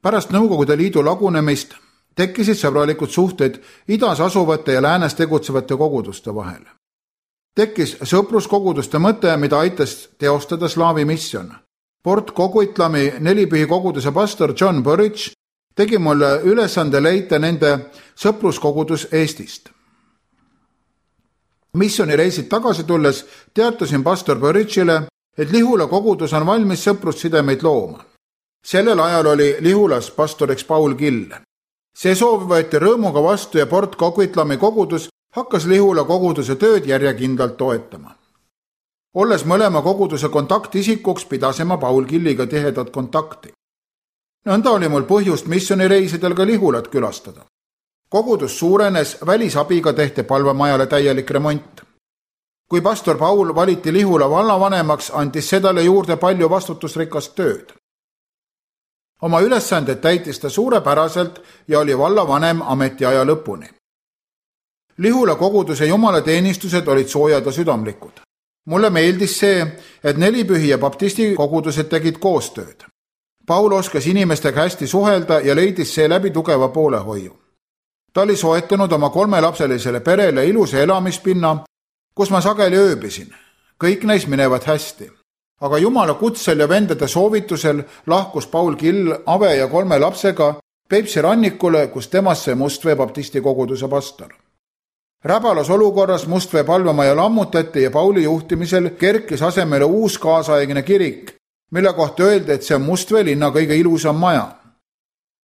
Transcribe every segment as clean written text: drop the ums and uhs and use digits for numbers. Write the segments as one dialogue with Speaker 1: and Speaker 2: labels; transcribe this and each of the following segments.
Speaker 1: Pärast Nõukogude Liidu lagunemist tekkisid sõbralikud suhted idas asuvate ja läänes tegutsevate koguduste vahel. Tekkis sõpruskoguduste mõte, mida aitas teostada Slaavi misjon. Port Coquitlami nelipühi koguduse pastor John Burridge tegi mulle ülesande leida nende sõpruskogudus Eestist. Missionireisid tagasi tulles teatasin pastor Burridge'ile, et Lihula kogudus on valmis sõprussidemeid looma. Sellel ajal oli Lihulas pastoriks Paul Kill. See soov võeti rõõmuga vastu ja Port Coquitlami kogudus hakkas Lihula koguduse tööd järjekindlalt toetama. Olles mõlema koguduse kontaktisikuks, pidasime Paul Killiga tihedat kontakti. Nõnda oli mul põhjust missionireisidel ka Lihulat külastada. Kogudus suurenes, välisabiga tehti palvemajale täielik remont. Kui pastor Paul valiti Lihula vallavanemaks, andis sedale juurde palju vastutusrikast tööd. Oma ülesanded täitis ta suurepäraselt ja oli vallavanem ametiaja lõpuni. Lihula koguduse jumalateenistused olid soojad ja südamlikud. Mulle meeldis see, et nelipühi ja baptisti kogudused tegid koostööd. Paul oskas inimestega hästi suhelda ja leidis seeläbi tugeva poolehoiu. Ta oli soetanud oma 3-lapselisele perele ilusa elamispinna, kus ma sageli ööbisin. Kõik neis minevad hästi. Aga Jumala kutsel ja vendade soovitusel lahkus Paul Kill Ave ja 3 lapsega Peipsi rannikule, kus temast sai Mustvee baptisti koguduse pastor. Räbalas olukorras Mustvee palvemaja lammutati ja Pauli juhtimisel kerkis asemele uus kaasaegne kirik, mille kohta öeldi, et see on Mustvee linna kõige ilusam maja.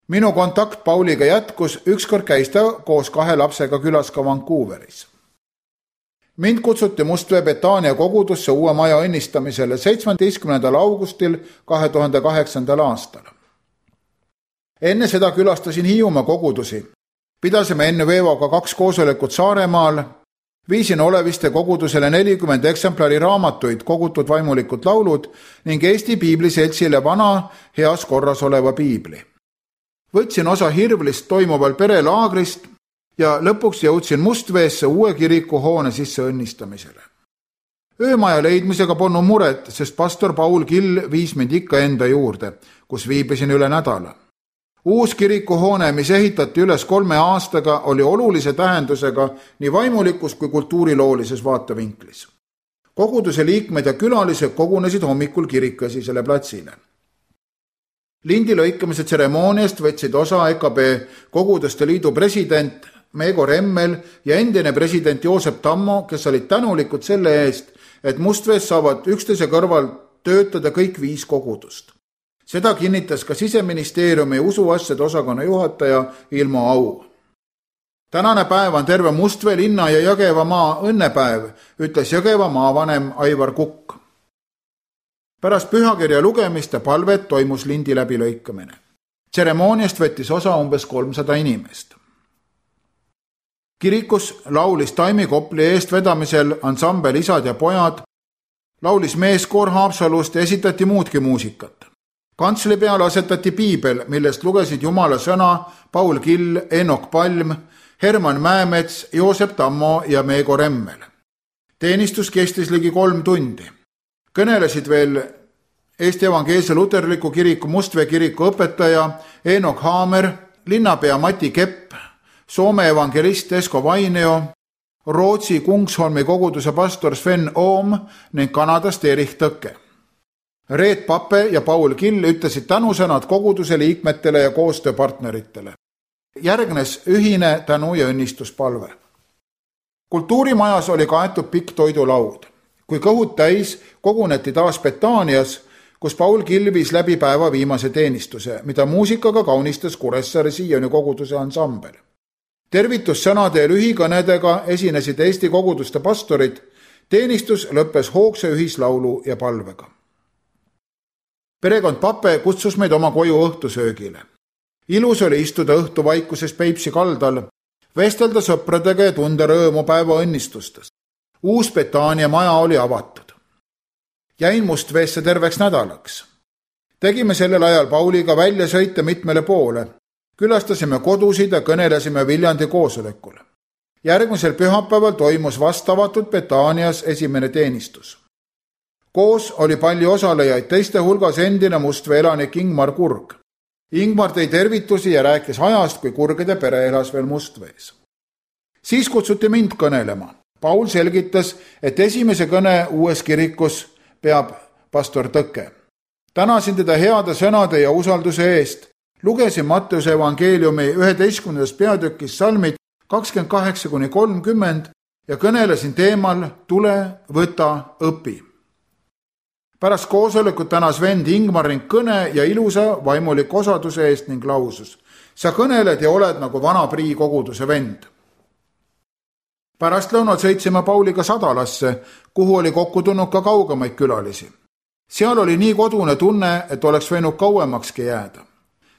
Speaker 1: Minu kontakt Pauliga jätkus, ükskord käis ta koos 2 lapsega külas ka Vancouveris. Mind kutsuti Mustvee Betania kogudusse uue maja õnnistamisele 17. augustil 2008. aastal. Enne seda külastasin Hiiumaa kogudusi. Pidasime enne Veevoga 2 koosolekut Saaremaal, viisin Oleviste kogudusele 40 eksemplari raamatuid, kogutud vaimulikud laulud ning Eesti Piibliseltsile vana heas korras oleva piibli. Võtsin osa Hirvlist toimuval perelaagrist ja lõpuks jõudsin Mustveesse uue kiriku hoone sisse õnnistamisele. Öömaja leidmisega polnud muret, sest pastor Paul Kill viis mind ikka enda juurde, kus viibisin üle nädala. Uus kirikuhoone, mis ehitati üles 3 aastaga, oli olulise tähendusega nii vaimulikus kui kultuuriloolises vaatevinklis. Koguduse liikmed ja külalised kogunesid hommikul kirikuesisele platsile. Lindi lõikamise tseremooniast võtsid osa EKB Koguduste Liidu president Meego Remmel ja endine president Joosep Tammo, kes olid tänulikud selle eest, et Mustvees saavad üksteise kõrval töötada kõik 5 kogudust. Seda kinnitas ka Siseministeeriumi usuasjade osakonna juhataja Ilmo Au. Tänane päev on terve Mustvee linna ja Jõgevamaa õnnepäev, ütles Jõgevamaa vanem Aivar Kukk. Pärast pühakirja lugemist ja palvet toimus lindi läbilõikamine. Tseremooniast võttis osa umbes 300 inimest. Kirikus laulis Taimi Kopli eestvedamisel ansambel Isad ja pojad, laulis meeskoor Haapsalust ja esitati muudki muusikat. Kantsli peale asetati piibel, millest lugesid Jumala sõna Paul Kill, Eenok Palm, Herman Mäemets, Joosep Tammo ja Meego Remmel. Teenistus kestis ligi 3 tundi. Kõnelesid veel Eesti Evangeelse Luterliku kiriku Mustvee kiriku õpetaja Eenok Haamer, linnapea Mati Kepp, Soome evangelist Esko Vainio, Rootsi Kungsholmi koguduse pastor Sven Oom ning Kanadast Erich Tõkke. Reet Pape ja Paul Kill ütlesid tänusõnad koguduse liikmetele ja koostööpartneritele. Järgnes ühine tänu- ja õnnistuspalve. Kultuurimajas oli kaetud pikk toidulaud. Kui kõhud täis, koguneti taas Betanias, kus Paul Kill viis läbi päeva viimase teenistuse, mida muusikaga kaunistas Kuressaare Sioni koguduse ansambel. Tervitussõnade ja lühikõnedega esinesid Eesti koguduste pastorid, teenistus lõppes hoogse ühislaulu ja palvega. Perekond Pape kutsus meid oma koju õhtusöögile. Ilus oli istuda õhtuvaikuses Peipsi kaldal, vestelda sõpradega ja tunda rõõmu päeva õnnistustest. Uus Betania maja oli avatud. Jäin Mustveesse terveks nädalaks. Tegime sellel ajal Pauliga välja sõite mitmele poole. Külastasime kodusid ja kõnelesime Viljandi koosolekul. Järgmisel pühapäeval toimus vastavatud Betanias esimene teenistus. Koos oli palju osalejaid, teiste hulgas endine Mustvee elanik Ingmar Kurg. Ingmar tõi tervitusi ja rääkis ajast, kui Kurgede pere elas veel Mustvees. Siis kutsuti mind kõnelema. Paul selgitas, et esimese kõne uues kirikus peab pastor Tõke. Tänasin teda heade sõnade ja usalduse eest. Lugesin Matteuse evangeeliumi 11. peatükis salmid 28-30 ja kõnelesin teemal Tule, võta, õpi. Pärast koosolekut tänas vend Ingmar ning kõne ja ilusa vaimuliku osaduse eest ning lausus: sa kõneled ja oled nagu vana Prii koguduse vend. Pärast lõunal sõitsime Pauliga Sadalasse, kuhu oli kokku tulnud ka kaugemaid külalisi. Seal oli nii kodune tunne, et oleks võinud kauemakski jääda.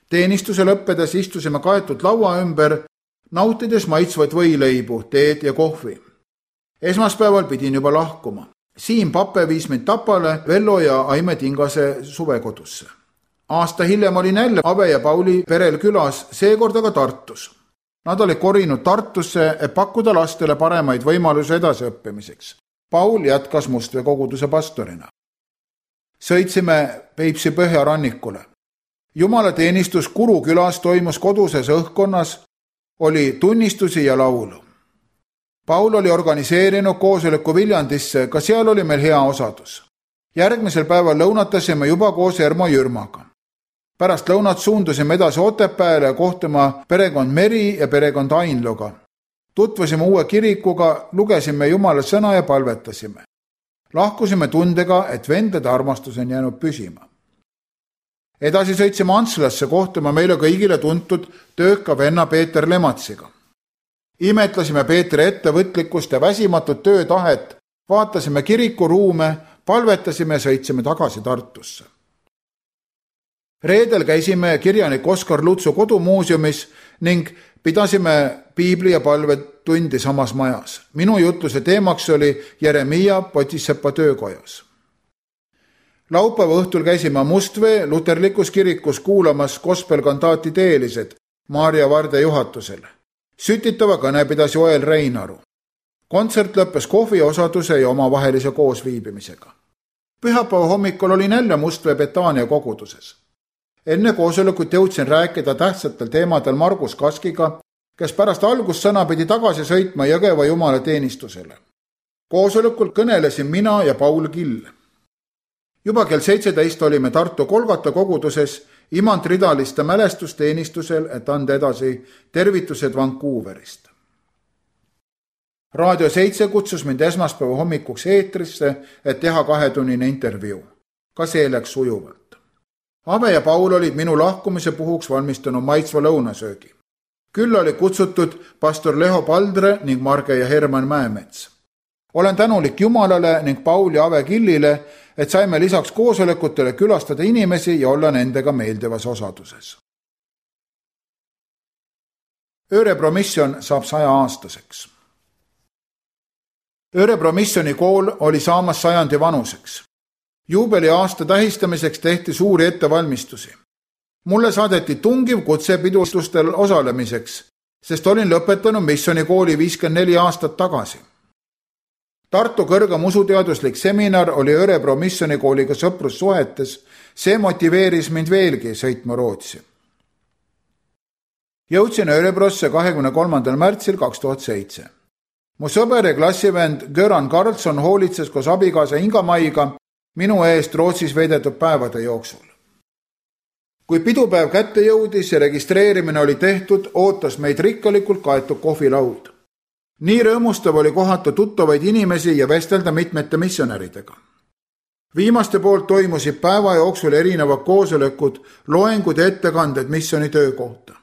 Speaker 1: Teenistuse lõppedes istusime kaetud laua ümber, nautides maitsvaid võileibu, teed ja kohvi. Esmaspäeval pidin juba lahkuma. Siim Pape viis mind Tapale Vello ja Aime Tingase suvekodusse. Aasta hiljem olin jälle Ave ja Pauli perel külas, seekord aga Tartus. Nad olid korinud Tartusse, et pakkuda lastele paremaid võimalusi edasiõppimiseks. Paul jätkas Mustvee koguduse pastorina. Sõitsime Peipsi põhjarannikule. Jumalateenistus Kuru külas toimus koduses õhkkonnas, oli tunnistusi ja laulu. Paul oli organiseerinud koosoleku Viljandisse, ka seal oli meil hea osadus. Järgmisel päeval lõunatasime juba koos Ermo Jürmaga. Pärast lõunat suundusime edasi Otepääle kohtuma perekond Meri ja perekond Ainloga. Tutvusime uue kirikuga, lugesime Jumala sõna ja palvetasime. Lahkusime tundega, et vendade armastus on jäänud püsima. Edasi sõitsime Antslasse kohtuma meile kõigile tuntud tööka venna Peeter Lematsiga. Imetlesime Peetri ettevõtlikkust ja väsimatut töötahet, vaatasime kirikuruume, palvetasime ja sõitsime tagasi Tartusse. Reedel käisime kirjanik Oskar Lutsu kodumuuseumis ning pidasime piibli- ja palvetundi samas majas. Minu jutluse teemaks oli Jeremia Potisepa töökojas. Laupäeva õhtul käisime Mustvee luterlikus kirikus kuulamas gospelkantaati Teelised Maarja Varde juhatusel. Sütitava kõne pidas Joel Reinaru. Kontsert lõppes kohviosaduse ja omavahelise koosviibimisega. Pühapäeva hommikul olin jälle Mustvee Betania koguduses. Enne koosolekut jõudsin rääkida tähtsatel teemadel Margus Kaskiga, kes pärast algussõna pidi tagasi sõitma Jõgeva jumalateenistusele. Koosolekul kõnelesin mina ja Paul Kill. Juba kell 17 olime Tartu Kolgata koguduses imantridaliste mälestusteenistusel, et anda edasi tervitused Vancouverist. Raadio 7 kutsus mind esmaspäeva hommikuks eetrisse, et teha 2-tunnine intervjuu. Ka see läks sujuvalt. Ave ja Paul olid minu lahkumise puhuks valmistanud maitsva lõunasöögi. Küll oli kutsutud pastor Leho Paldre ning Marge ja Herman Mäemets. Olen tänulik Jumalale ning Paul ja Ave Killile, et saime lisaks koosolekutele külastada inimesi ja olla nendega meeldivas osaduses. Örebro misjon saab 100-aastaseks. Örebro missioni kool oli saamas 100 vanuseks. Juubeli aasta tähistamiseks tehti suuri ettevalmistusi. Mulle saadeti tungiv kutse pidustustel osalemiseks, sest olin lõpetanud missionikooli 54 aastat tagasi. Tartu kõrgem usuteaduslik seminar oli Örebro missionikooliga sõprussuhetes, see motiveeris mind veelgi sõitma Rootsi. Jõudsin Örebrosse 23. märtsil 2007. Mu sõber ja klassivend Göran Karlsson hoolitses koos abikaasa Inga-Maiga minu eest Rootsis veedetud päevade jooksul. Kui pidupäev kätte jõudis ja registreerimine oli tehtud, ootas meid rikkalikult kaetud kohvilaud. Nii rõõmustav oli kohata tuttavaid inimesi ja vestelda mitmete missionäridega. Viimaste poolt toimusid päeva jooksul erinevad koosolekud, loengud ja ettekanded missioni töö kohta.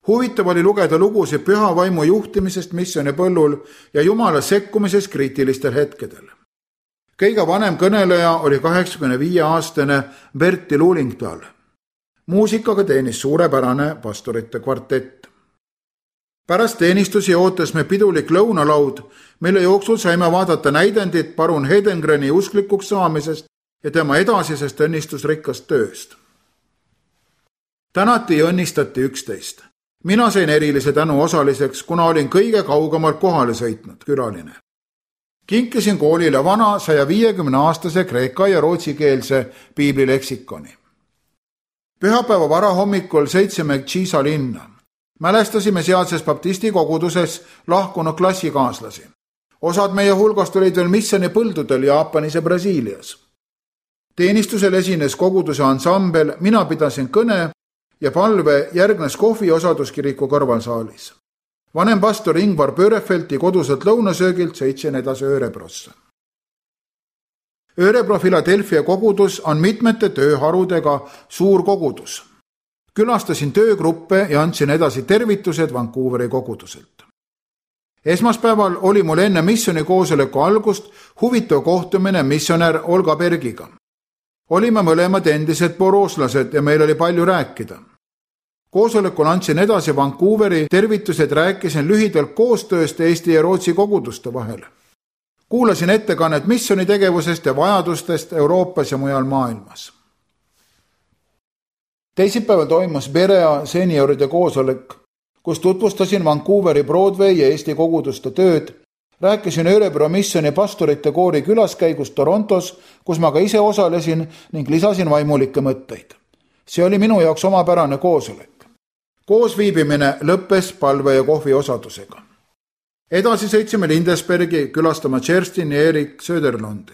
Speaker 1: Huvitav oli lugeda lugusid püha vaimu juhtimisest missioni põllul ja Jumala sekkumisest kriitilistel hetkedel. Kõige vanem kõneleja oli 85-aastane Berti Luulingtal. Muusikaga teenis suurepärane pastorite kvartett. Pärast teenistusi ootas me pidulik lõunalaud, mille jooksul saime vaadata näidendit parun Hedengreni usklikuks saamisest ja tema edasisest õnnistusrikkast tööst. Tänati ja õnnistati 11. Mina sain erilise tänu osaliseks, kuna olin kõige kaugemalt kohale sõitnud külaline. Kinkisin koolile vana 150-aastase kreeka ja rootsikeelse piiblileksikoni. Pühapäeva varahommikul sõitsime Tšiisa linna. Mälestasime sealses baptisti koguduses lahkunud klassikaaslasi. Osad meie hulgast olid veel missiooni põldudel Jaapanis ja Brasiilias. Teenistusel esines koguduse ansambel, mina pidasin kõne ja palve järgnes kohvi osaduskiriku kõrvalsaalis. Vanem pastor Ingvar Pöörefelti koduselt lõunasöögilt sõitsin edasi Örebrosse. Örebro Philadelphia kogudus on mitmete tööharudega suur kogudus. Külastasin töögruppe ja andsin edasi tervitused Vancouveri koguduselt. Esmaspäeval oli mul enne missiooni koosoleku algust huvitav kohtumine missionär Olga Bergiga. Olime mõlemad endised borooslased ja meil oli palju rääkida. Koosolekul andsin edasi Vancouveri tervitused, rääkisin lühidalt koostööst Eesti ja Rootsi koguduste vahel. Kuulasin ettekannet missioonitegevusest ja vajadustest Euroopas ja mujal maailmas. Teisipäeval toimus Berea senioride koosolek, kus tutvustasin Vancouveri Broadway ja Eesti koguduste tööd, rääkisin Örebro missiooni pastorite koori külaskäigust Torontos, kus ma ka ise osalesin ning lisasin vaimulikke mõtteid. See oli minu jaoks omapärane koosolek. Koosviibimine lõppes palve ja kohvi osadusega. Edasi sõitsime Lindesbergi külastama Kerstin ja Erik Söderlundi.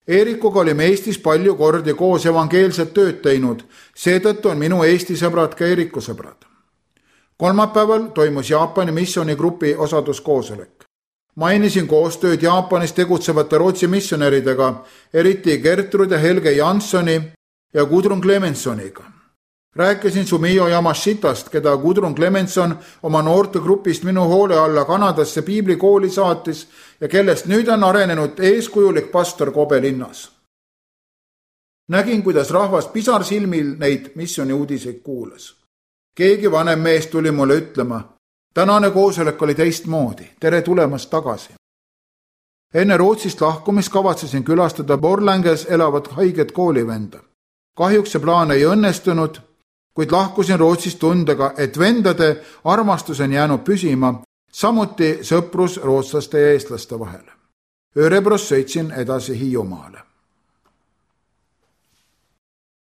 Speaker 1: Eerikuga olime Eestis palju kordi koos evangeelset tööd teinud, seetõttu on minu Eesti sõbrad ka Eeriku sõbrad. Kolmapäeval toimus Jaapani missioonigrupi osaduskoosolek. Mainisin koostööd Jaapanis tegutsevate Rootsi missionäridega, eriti Gertrud ja Helge Janssoni ja Gudrun Clemensoniga. Rääkisin Sumio Yamashitast, keda Gudrun Clemenson oma noortegrupist minu hoole alla Kanadasse piiblikooli saatis ja kellest nüüd on arenenud eeskujulik pastor Kobe linnas. Nägin, kuidas rahvas pisarsilmil neid missiooni uudiseid kuulas. Keegi vanem mees tuli mulle ütlema, tänane koosolek oli teistmoodi, tere tulemast tagasi. Enne Rootsist lahkumist kavatsesin külastada Borlänges elavat haiget koolivenda. Kahjuks see plaan ei õnnestunud, kuid lahkusin Rootsist tundega, et vendade armastus on jäänud püsima, samuti sõprus rootslaste ja eestlaste vahel. Örebros sõitsin edasi Hiiumaale.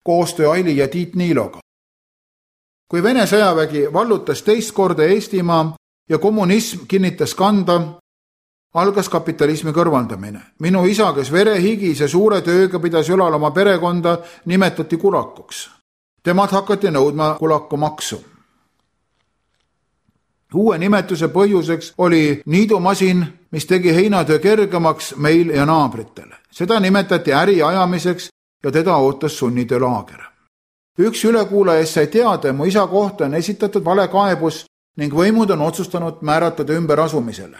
Speaker 1: Koostöö Aili ja Tiit Niiloga. Kui Vene sõjavägi vallutas teist korda Eestimaa ja kommunism kinnitas kanda, algas kapitalismi kõrvaldamine. Minu isa, kes verehigis ja suure tööga pidas ülal oma perekonda, nimetati kulakuks. Temad hakati nõudma kulakumaksu. Uue nimetuse põhjuseks oli niidumasin, mis tegi heinatöö kergemaks meil ja naabritel. Seda nimetati äri ajamiseks ja teda ootas sunnitöölaager. Üks ülekuulajast sai teada, mu isa kohta on esitatud valekaebus ning võimud on otsustanud määratada ümberasumisele.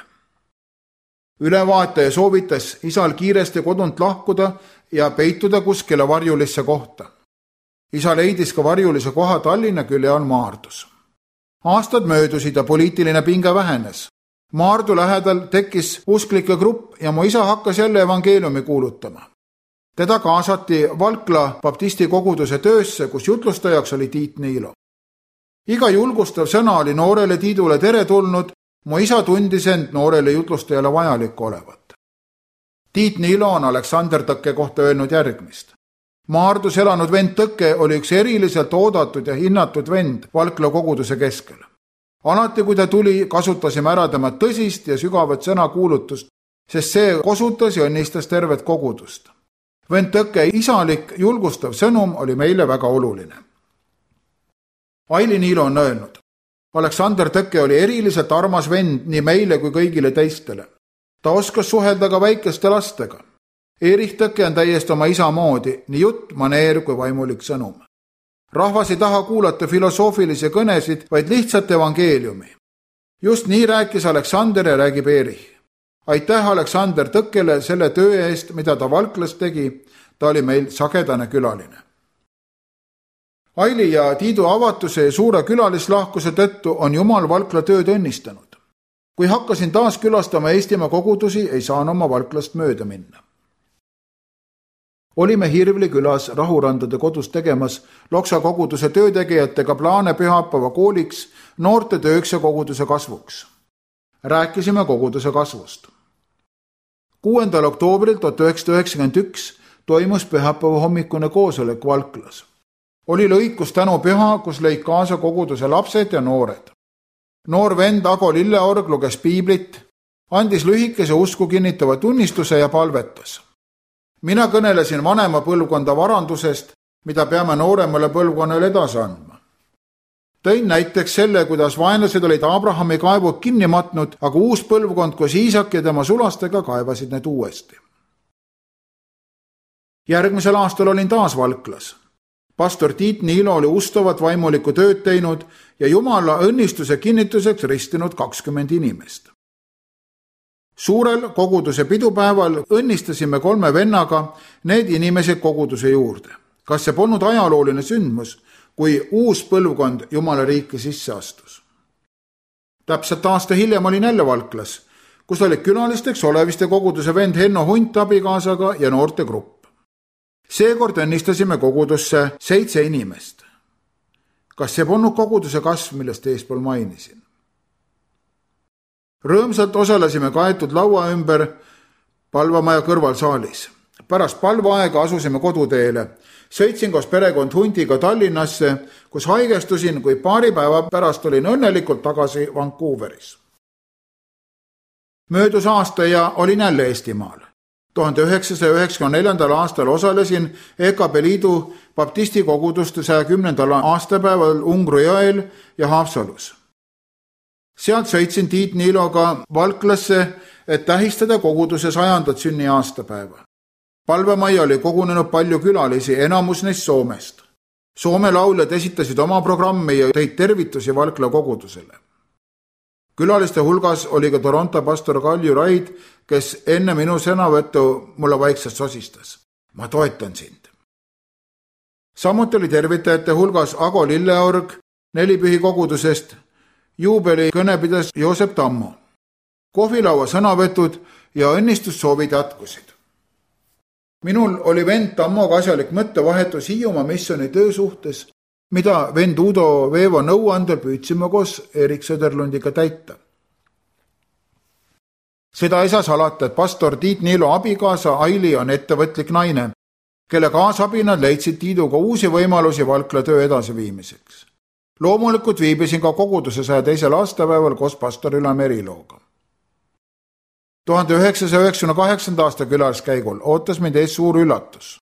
Speaker 1: Ülevaataja soovitas isal kiiresti kodunt lahkuda ja peituda kuskile varjulisse kohta. Isa leidis ka varjulise koha Tallinna külje all Maardus. Aastad möödusid ja poliitiline pinge vähenes. Maardu lähedal tekkis usklike grupp ja mu isa hakkas jälle evangeeliumi kuulutama. Teda kaasati Valkla baptisti koguduse töösse, kus jutlustajaks oli Tiit Niilo. Iga julgustav sõna oli noorele Tiidule teretulnud, mu isa tundis end noorele jutlustajale vajalik olevat. Tiit Niilo on Aleksander Tõkke kohta öelnud järgmist. Maardus elanud vend Tõkke oli üks eriliselt oodatud ja hinnatud vend Valkla koguduse keskel. Alati, kui ta tuli, kasutasime ära tema tõsist ja sügavat sõnakuulutust, sest see kosutas ja õnnistas tervet kogudust. Vend Tõkke isalik julgustav sõnum oli meile väga oluline. Aili Niilo on öelnud, Aleksander Tõkke oli eriliselt armas vend nii meile kui kõigile teistele. Ta oskas suhelda ka väikeste lastega. Erich Tõkke on täiesti oma isa moodi, nii jutt, maneer kui vaimulik sõnum. Rahvas ei taha kuulata filosoofilisi kõnesid, vaid lihtsalt evangeeliumi. Just nii rääkis Aleksander ja räägib Erich. Aitäh Aleksander Tõkkele selle töö eest, mida ta Valklas tegi, ta oli meil sagedane külaline. Aili ja Tiidu avatuse ja suure külalislahkuse tõttu on Jumal Valkla tööd õnnistanud. Kui hakkasin taas külastama Eestimaa kogudusi, ei saan oma Valklast mööda minna. Olime Hirvli külas Rahurandade kodus tegemas Loksa koguduse töötegijatega plaane pühapäeva kooliks, noorte tööks ja koguduse kasvuks. Rääkisime koguduse kasvust. 6. oktoobril 1991 toimus pühapäeva hommikune koosolek Valklas. Oli lõikus tänupüha, kus lõid kaasa koguduse lapsed ja noored. Noor vend Ago Lilleorg luges piiblit, andis lühikese usku kinnitava tunnistuse ja palvetas. Mina kõnelesin vanema põlvkonda varandusest, mida peame nooremale põlvkonnale edasi andma. Tõin näiteks selle, kuidas vaenlased olid Abrahami kaevud kinni matnud, aga uus põlvkond koos Iisak ja tema sulastega kaevasid need uuesti. Järgmisel aastal olin taas Valklas. Pastor Tiit Niilo oli ustavat vaimulikku tööd teinud ja Jumala õnnistuse kinnituseks ristinud 20 inimest. Suurel koguduse pidupäeval õnnistasime 3 vennaga need inimesed koguduse juurde. Kas see polnud ajalooline sündmus, kui uus põlvkond Jumala riiki sisse astus? Täpselt aasta hiljem olin jälle Valklas, kus olid külalisteks Oleviste koguduse vend Henno Hunt abikaasaga ja noorte grupp. Seekord õnnistasime kogudusse 7 inimest. Kas see polnud koguduse kasv, millest eespool mainisin? Rõõmsalt osalesime kaetud laua ümber palvamaja kõrvalsaalis. Pärast palvaaega asusime koduteele. Sõitsin koos perekond Huntiga Tallinnasse, kus haigestusin, kui paari päeva pärast olin õnnelikult tagasi Vancouveris. Möödus aasta ja olin jälle Eestimaal. 1994. aastal osalesin EKP Liidu baptisti koguduste 110. aastapäeval Ungru jõel ja Haapsalus. Sealt sõitsin Tiit Niiloga Valklasse, et tähistada koguduse 100. sünni aastapäeva. Palvemajja oli kogunenud palju külalisi, enamus neist Soomest. Soome lauljad esitasid oma programmi ja tõid tervitusi Valkla kogudusele. Külaliste hulgas oli ka Toronto pastor Kalju Raid, kes enne minu sõnavõttu mulle vaikselt sosistas. Ma toetan sind. Samuti oli tervitajate hulgas Ago Lilleorg Nelipühi kogudusest, juubeli kõne pidas Joosep Tammo. Kohvilaua sõnavõtud ja õnnistussoovid jätkusid. Minul oli vend Tammoga asjalik mõttevahetus Hiiumaa missiooni töö suhtes, mida vend Udo Veevo nõuandel püüdsime koos Erik Söderlundiga täita. Seda ei saa salata, et pastor Tiit Niilo abikaasa Aili on ettevõtlik naine, kelle kaasabinad leidsid Tiiduga uusi võimalusi Valkla töö edasiviimiseks. Loomulikult viibisin ka koguduse 102. aastapäeval koos pastor Üla Merilooga. 1998. aasta külaliskäigul ootas mind ees suur üllatus.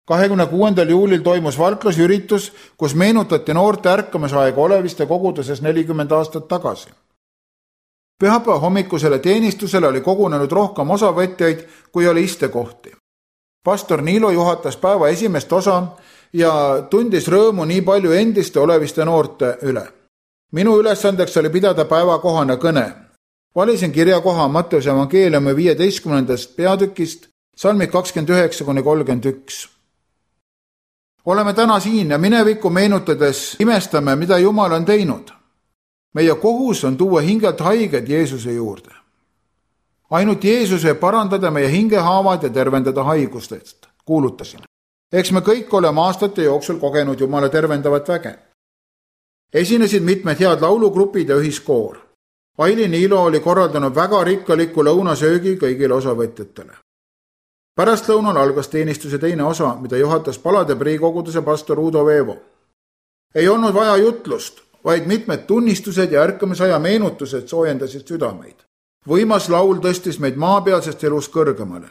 Speaker 1: 26. juulil toimus Valklas üritus, kus meenutati noorte ärkamisaega Oleviste koguduses 40 aastat tagasi. Pühapäeva hommikusele teenistusele oli kogunenud rohkem osavõtjaid, kui oli istekohti. Pastor Niilo juhatas päeva esimest osa ja tundis rõõmu nii palju endiste Oleviste noorte üle. Minu ülesandeks oli pidada päevakohane kõne. Valisin kirjakoha Matteuse evangeeliumi 15. peatükist, salmid 29-31. Oleme täna siin ja minevikku meenutades imestame, mida Jumal on teinud. Meie kohus on tuua hingelt haiged Jeesuse juurde. Ainult Jeesus võib parandada meie hingehaavad ja tervendada haigustest, kuulutasin. Eks me kõik oleme aastate jooksul kogenud Jumala tervendavat väge. Esinesid mitmed head laulugrupid ja ühiskoor. Aili Niilo oli korraldanud väga rikkaliku lõunasöögi kõigile osavõtjatele. Pärastlõunal algas teenistuse teine osa, mida juhatas Palade priikoguduse pastor Udo Veevo. Ei olnud vaja jutlust, vaid mitmed tunnistused ja ärkamisaja meenutused soojendasid südameid. Võimas laul tõstis meid maapealsest elust kõrgemale.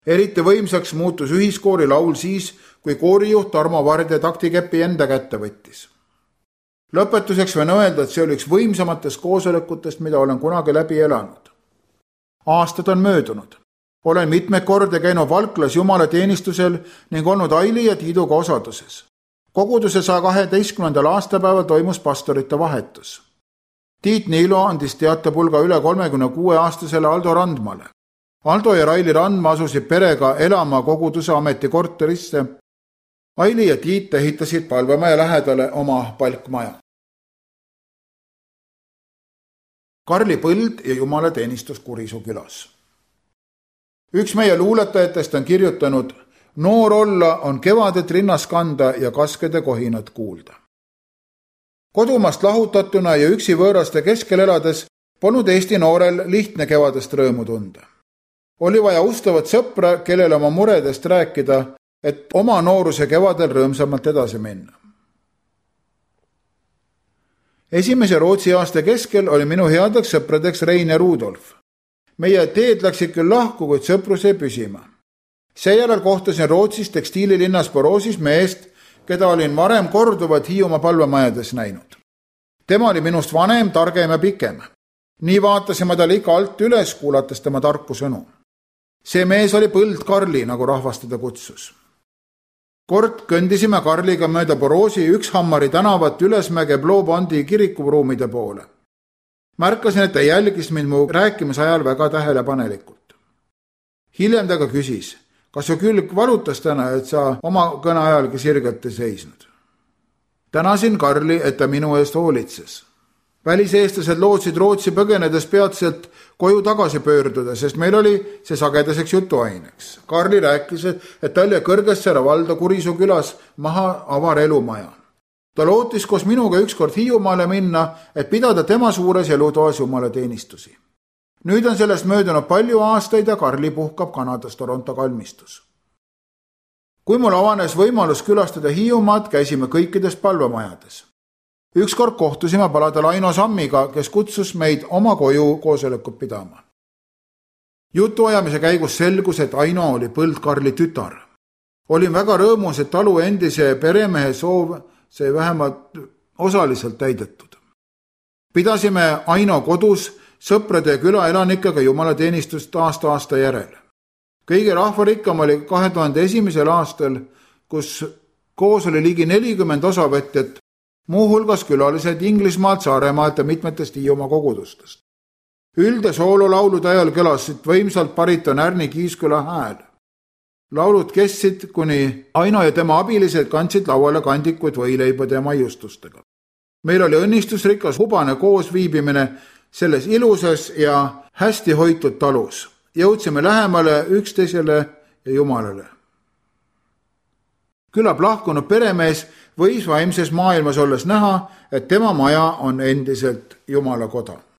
Speaker 1: Eriti võimsaks muutus ühiskoori laul siis, kui koorijuht Tarmo Vardja taktikepi enda kätte võttis. Lõpetuseks võin öelda, et see oli üks võimsamatest koosolekutest, mida olen kunagi läbi elanud. Aastad on möödunud. Olen mitmeid korda käinud Valklas Jumala teenistusel ning olnud Aili ja Tiiduga osaduses. Koguduse 112. aastapäeval toimus pastorite vahetus. Tiit Niilo andis teatepulga üle 36-aastasele Aldo Randmale. Aldo ja Raili Randma asusid perega elama koguduse ametikorterisse. Aili ja Tiit ehitasid palvemaja lähedale oma palkmaja. Karli Põld ja Jumala teenistus Kurisu külas. Üks meie luuletajatest on kirjutanud: noor olla on kevadet rinnas kanda ja kaskede kohinat kuulda. Kodumaast lahutatuna ja üksi võõraste keskel elades polnud Eesti noorel lihtne kevadest rõõmu tunda. Oli vaja ustavat sõpra, kellele oma muredest rääkida, et oma nooruse kevadel rõõmsamalt edasi minna. Esimese Rootsi aasta keskel oli minu headeks sõpradeks Rein ja Rudolf. Meie teed läksid küll lahku, kuid sõprus jäi püsima. Seejärel kohtasin Rootsis tekstiililinnas Boroosis meest, keda olin varem korduvalt Hiiumaa palvemajades näinud. Tema oli minust vanem, targem ja pikem. Nii vaatasime tal ikka alt üles, kuulates tema tarku sõnu. See mees oli Põld Karli, nagu rahvas teda kutsus. Kord kõndisime Karliga mööda Boroosi Ükshammari tänavat Ülesmäge Blåbandi kirikuruumide poole. Märkasin, et ta jälgis mind mu rääkimise ajal väga tähelepanelikult. Hiljem ta ka küsis, kas su külg valutas täna, et sa oma kõne ajalgi sirgelt ei seisnud. Tänasin Karli, et ta minu eest hoolitses. Väliseestlased lootsid Rootsi põgenedes peatselt koju tagasi pöörduda, sest meil oli see sagedaseks jutuaineks. Karli rääkis, et tal jäi Kõrgessaare valda Kurisuu külas maha avar elumaja. Ta lootis koos minuga ükskord Hiiumaale minna, et pidada tema suures elutoas jumalateenistusi. Nüüd on sellest möödunud palju aastaid ja Karli puhkab Kanadas Toronto kalmistus. Kui mul avanes võimalus külastada Hiiumaad, käisime kõikides palvemajades. Ükskord kohtusime paladel Aino Sammiga, kes kutsus meid oma koju koosolekut pidama. Jutuajamise käigus selgus, et Aino oli Põld Karli tütar. Olin väga rõõmus, et talu endise peremehe soov sai vähemalt osaliselt täidetud. Pidasime Aino kodus sõprade ja külaelanikega jumalateenistust aasta järel. Kõige rahvarikkam oli 2001. aastal, kus koos oli ligi 40 osavõtjat, muuhulgas külalised Inglismaalt, Saaremaalt ja mitmetest Hiiumaa kogudustest. Üld- ja soololaulude ajal kõlasid võimsalt bariton Ärni Kiisküla hääl. Laulud kestsid, kuni Aino ja tema abilised kandsid lauale kandikuid võileibade ja maiustustega. Meil oli õnnistusrikas hubane koosviibimine selles ilusas ja hästi hoitud talus. Jõudsime lähemale üksteisele ja Jumalale. Küllap lahkunud peremees võis vaimses maailmas olles näha, et tema maja on endiselt Jumala koda.